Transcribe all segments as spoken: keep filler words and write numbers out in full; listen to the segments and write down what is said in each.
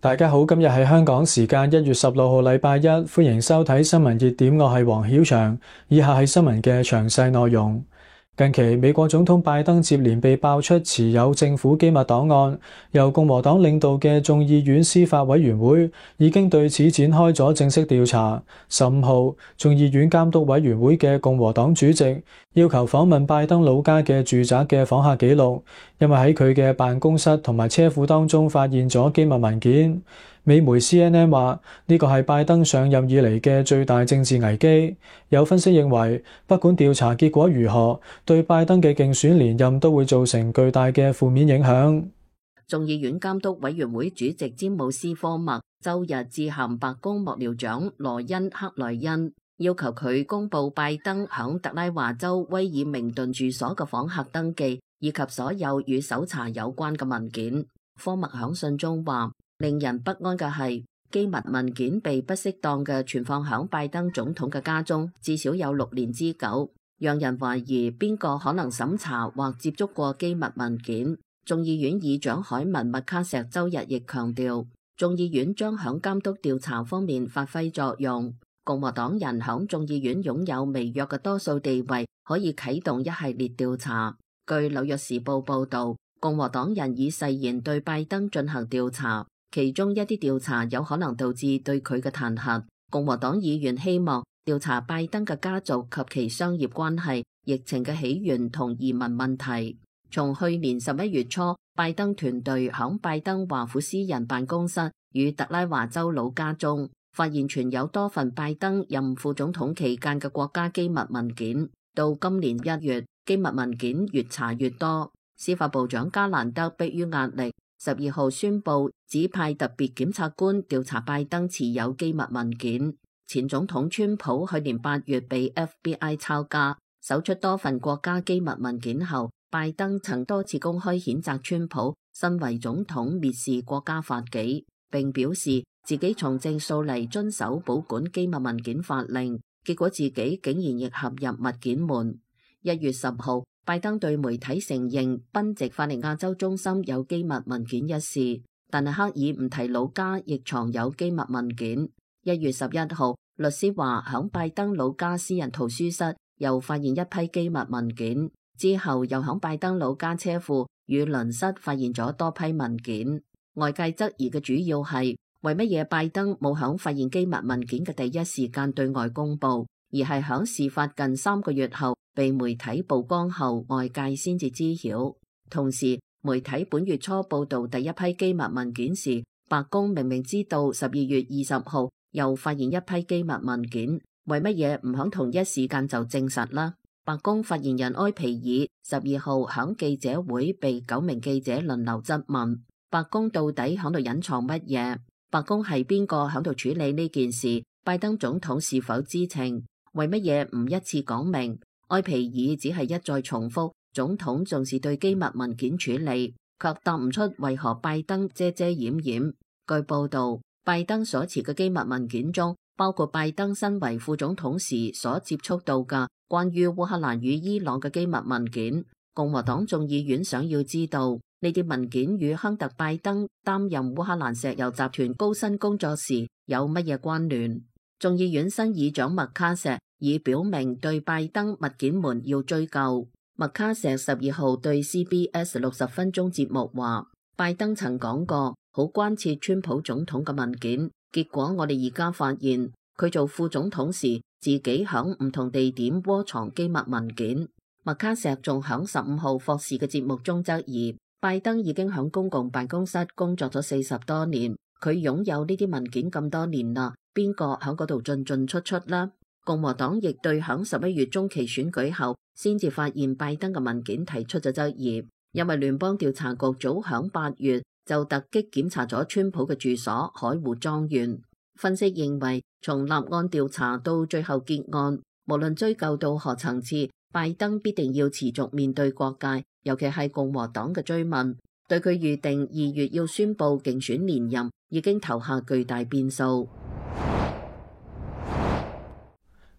大家好，今日係香港時間一月十六號禮拜一，歡迎收睇新聞熱點，我係黃曉翔。以下係新聞嘅詳細內容。近期美國總統拜登接連被爆出持有政府機密檔案，由共和黨領導嘅眾議院司法委員會已經對此展開咗正式調查。十五號，眾議院監督委員會嘅共和黨主席要求訪問拜登老家嘅住宅嘅訪客記錄，因為喺佢嘅辦公室同埋車庫當中發現咗機密文件。美媒 C N N 話呢個係拜登上任以嚟嘅最大政治危機。有分析認為，不管調查結果如何，對拜登嘅競選連任都會造成巨大嘅負面影響。眾議院監督委員會主席詹姆斯科默周日致函白宮幕僚長羅恩克萊恩，要求佢公布拜登響特拉華州威爾明頓住所嘅訪客登記以及所有與搜查有關嘅文件。科默響信中話，令人不安嘅係，機密文件被不適當嘅存放響拜登總統嘅家中，至少有六年之久，讓人懷疑邊個可能審查或接觸過機密文件。眾議院議長凱文麥卡錫周日亦強調，眾議院將響監督調查方面發揮作用。共和黨人響眾議院擁有微弱嘅多數地位，可以啟動一系列調查。據紐約時報報道，共和黨人已誓言對拜登進行調查。其中一啲調查有可能導致對佢嘅彈劾。共和黨議員希望調查拜登嘅家族及其商業關係、疫情嘅起源同移民問題。從去年十一月初，拜登團隊響拜登華府私人辦公室與特拉華州老家中發現存有多份拜登任副總統期間嘅國家機密文件。到今年一月，機密文件越查越多。司法部長加蘭德迫於壓力，十二號宣布指派特別檢察官調查拜登持有機密文件。前總統川普去年八月被 F B I 抄家，搜出多份國家機密文件後，拜登曾多次公開譴責川普身為總統蔑視國家法紀，並表示自己從政數嚟遵守保管機密文件法令，結果自己竟然亦陷入物件門。一月十號，拜登對媒體承認賓夕法尼亞州中心有機密文件一事，但係刻意唔提老家亦藏有機密文件。一月十一號，律師話響拜登老家私人圖書室又發現一批機密文件，之後又響拜登老家車庫與鄰室發現咗多批文件。外界質疑嘅主要係，為乜嘢拜登冇響發現機密文件嘅第一時間對外公布，而係響事發近三個月後被媒體曝光後，外界先至知曉。同時，媒體本月初報道第一批機密文件時，白宮明明知道十二月二十號又發現一批機密文件，為乜嘢唔響同一時間就證實啦？白宮發言人埃皮爾十二號響記者會被九名記者輪流質問，白宮到底響度隱藏乜嘢？白宮係邊個響度處理呢件事？拜登總統是否知情？為乜嘢唔一次講明？埃皮爾只係一再重複總統重視對機密文件處理，卻答唔出為何拜登遮遮掩掩。據報道，拜登所持嘅機密文件中，包括拜登身為副總統時所接觸到嘅關於烏克蘭與伊朗嘅機密文件。共和黨眾議院想要知道呢啲文件與亨特拜登擔任烏克蘭石油集團高薪工作時有乜嘢關聯。眾議院新議長麥卡錫已表明對拜登物件門要追究。麥卡錫十二號對 C B S 六十分鐘節目話，拜登曾講過好關切川普總統嘅文件，結果我哋而家發現佢做副總統時自己響唔同地點窩藏機密文件。麥卡錫仲響十五號霍士嘅節目中質疑，拜登已經響公共辦公室工作咗四十多年，佢擁有呢啲文件咁多年啦，邊個響嗰度進進出出啦？共和黨亦對響十一月中期選舉後先至發現拜登嘅文件提出咗質疑，因為聯邦調查局早響八月就突擊檢查咗川普嘅住所海湖莊園。分析認為，從立案調查到最後結案，無論追究到何層次，拜登必定要持續面對各界，尤其係共和黨嘅追問，對佢預定二月要宣布競選連任已經投下巨大變數。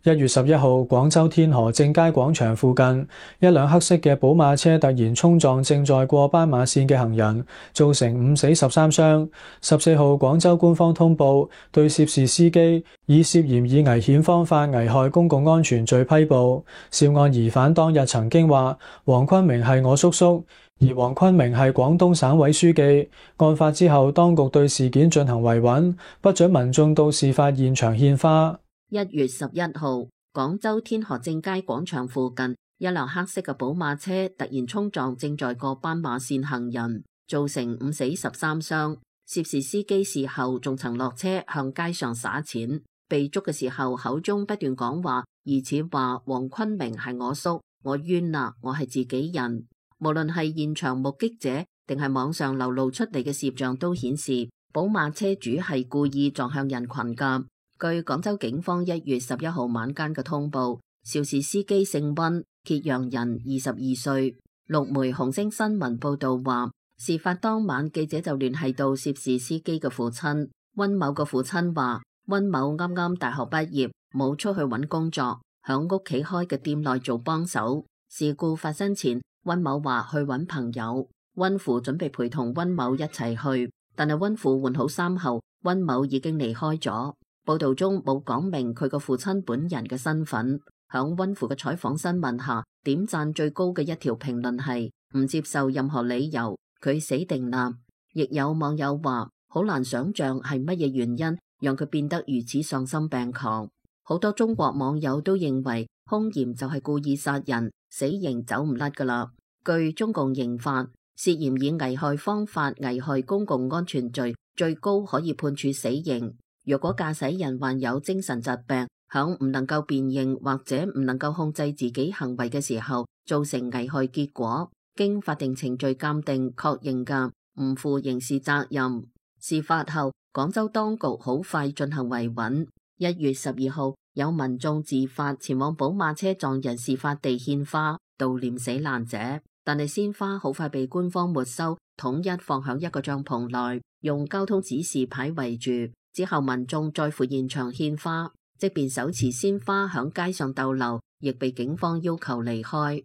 一月十一號，廣州天河正佳廣場附近，一輛黑色嘅寶馬車突然衝撞正在過斑馬線嘅行人，造成五死十三傷。十四號，廣州官方通報對涉事司機以涉嫌以危險方法危害公共安全罪批捕。涉案疑犯當日曾經話：黃坤明係我叔叔，而黃坤明係廣東省委書記。案發之後，當局對事件進行維穩，不准民眾到事發現場獻花。一月十一號，廣州天河正佳廣場附近，一輛黑色嘅寶馬車突然衝撞正在過斑馬線行人，造成五死十三傷。涉事司機事後仲曾落車向街上撒錢，被捉嘅時候口中不斷講話，疑似話黃坤明係我叔，我冤啦，我係自己人。無論係現場目擊者定係網上流露出嚟嘅攝像都顯示，寶馬車主係故意撞向人群噶。據廣州警方一月十一號晚間嘅通報，肇事司機姓溫，揭陽人，二十二歲。陸媒紅星新聞報道話，事發當晚記者就聯繫到涉事司機嘅父親溫某嘅父親話，溫某啱啱大學畢業，冇出去揾工作，響屋企開嘅店內做幫手。事故發生前，溫某話去揾朋友，溫父準備陪同溫某一齊去，但係溫父換好衫後，溫某已經離開咗。報道中冇講明佢個父親本人嘅身份。響溫父嘅採訪新聞下，點讚最高嘅一條評論係唔接受任何理由，佢死定啦。亦有網友話好難想象係乜嘢原因讓佢變得如此喪心病狂。好多中國網友都認為兇嫌就係故意殺人，死刑走唔甩噶啦。據中共刑法，涉嫌以危害方法危害公共安全罪，最高可以判處死刑。若果駕駛人患有精神疾病，響唔能夠辨認或者唔能夠控制自己行為嘅時候，造成危害結果，經法定程序鑑定確認嘅，唔負刑事責任。事發後，廣州當局好快進行維穩。一月十二號，有民眾自發前往寶馬車撞人事發地獻花，悼念死難者。但係鮮花好快被官方沒收，統一放響一個帳篷內，用交通指示牌圍住。之後民眾再赴現場獻花，即便手持鮮花響街上逗留，亦被警方要求離開。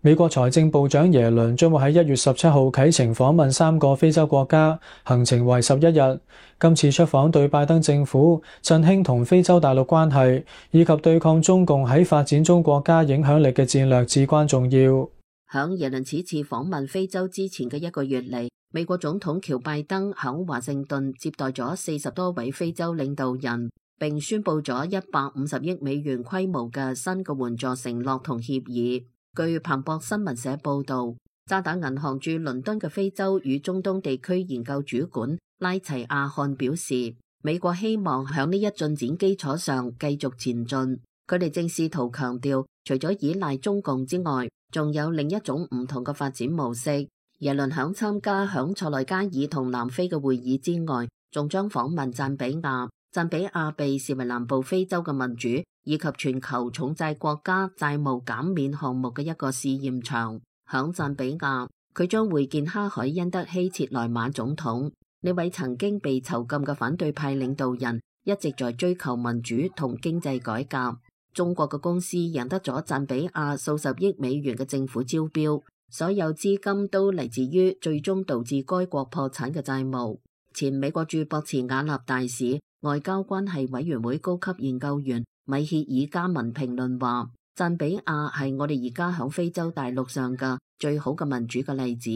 美國財政部長耶倫將會喺一月十七號啟程訪問三個非洲國家，行程為十一日。今次出訪對拜登政府振興同非洲大陸關係，以及對抗中共喺發展中國家影響力嘅戰略至關重要。響耶倫此次訪問非洲之前嘅一個月嚟，美國總統喬拜登響華盛頓接待咗四十多位非洲領導人，並宣布咗一百五十億美元規模嘅新嘅援助承諾同協議。據彭博新聞社報道，渣打銀行駐倫敦嘅非洲與中東地區研究主管拉齊亞漢表示，美國希望響呢一進展基礎上繼續前進。佢哋正試圖強調，除咗依賴中共之外，仲有另一種唔同嘅發展模式。耶倫響參加響塞內加爾同南非嘅會議之外，仲將訪問贊比亞。贊比亞被視為南部非洲嘅民主以及全球重債國家債務減免項目嘅一個試驗場。響贊比亞，佢將會見哈海因德希切萊馬總統。呢位曾經被囚禁嘅反對派領導人一直在追求民主同經濟改革。中國嘅公司贏得咗贊比亞數十億美元嘅政府招標，所有資金都嚟自於最終導致該國破產嘅債務。前美國駐博茨瓦納大使、外交關係委員會高級研究員米歇爾加文評論話，贊比亞係我哋而家響非洲大陸上嘅最好嘅民主嘅例子。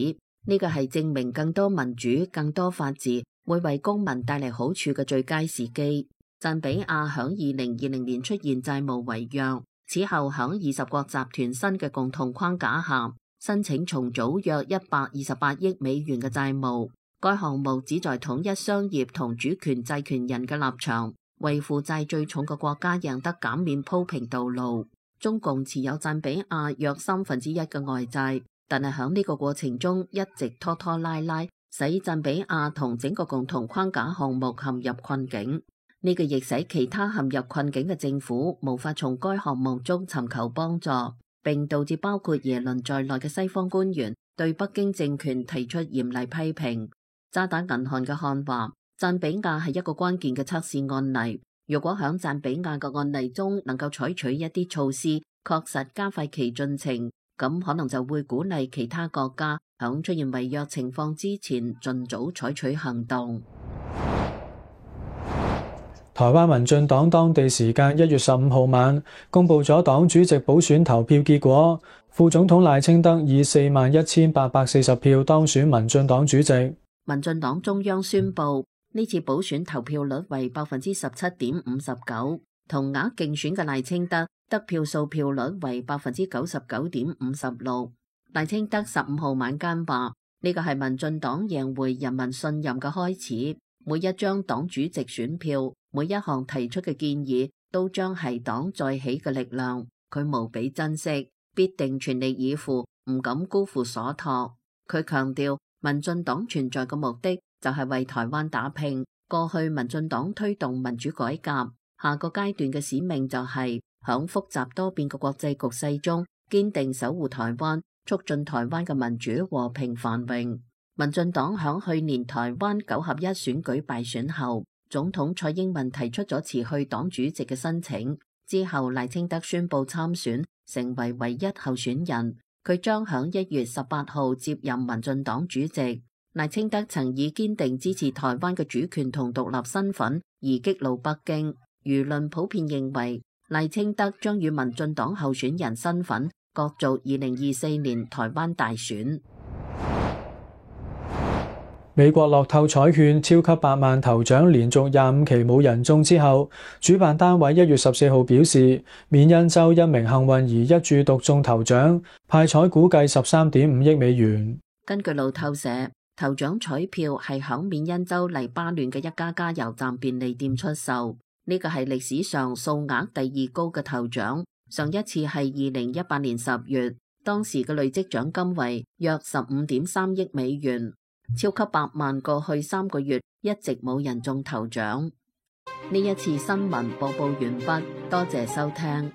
呢個係證明更多民主、更多法治會為公民帶嚟好處嘅最佳時機。贊比亞響二零二零年出現債務違約，此後響二十國集團新嘅共同框架下，申請重組約一百二十八億美元嘅債務。該項目旨在統一商業同主權債權人嘅立場，為負債最重嘅國家贏得減免鋪平道路。中共持有贊比亞約三分之一嘅外債，但係響呢個過程中一直拖拖拉拉，使贊比亞同整個共同框架項目陷入困境。呢個亦使其他陷入困境嘅政府無法從該項目中尋求幫助，並導致包括耶倫在內嘅西方官員對北京政權提出嚴厲批評。渣打銀行嘅漢話，贊比亞係一個關鍵嘅測試案例。如果響贊比亞嘅案例中能夠採取一啲措施，確實加快其進程，咁可能就會鼓勵其他國家響出現違約情況之前，盡早採取行動。台灣民進黨當地時間一月十五號晚公布咗黨主席補選投票結果，副總統賴清德以四萬一千八百四十票當選民進黨主席。民進黨中央宣布，呢次補選投票率為百分之十七點五十九，同額競選嘅賴清德得票數票率為百分之九十九點五十六。賴清德十五號晚間話：呢個係民進黨贏回人民信任嘅開始，每一張黨主席選票，每一項提出嘅建議都將係黨再起嘅力量，佢無比珍惜，必定全力以赴，唔敢辜負所託。佢強調，民進黨存在嘅目的就係為台灣打拼。過去民進黨推動民主改革，下個階段嘅使命就係響複雜多變嘅國際局勢中，堅定守護台灣，促進台灣嘅民主和平繁榮。民進黨響去年台灣九合一選舉敗選後，總統蔡英文提出咗辭去黨主席嘅申請，之後賴清德宣布參選，成為唯一候選人。佢將響一月十八號接任民進黨主席。賴清德曾以堅定支持台灣嘅主權同獨立身份而激怒北京，輿論普遍認為賴清德將與民進黨候選人身份角逐二零二四年台灣大選。美國樂透彩券超級百萬頭獎連續廿五期冇人中之後，主辦單位一月十四號表示，緬因州一名幸運兒一注獨中頭獎，派彩估計十三點五億美元。根據路透社，頭獎彩票係響緬因州黎巴嫩嘅一家加油站便利店出售，呢個係歷史上數額第二高嘅頭獎，上一次係二零一八年十月，當時嘅累積獎金為約十五點三億美元。超級百萬過去三個月一直冇人中頭獎。呢一次新聞播報完畢，多謝收聽。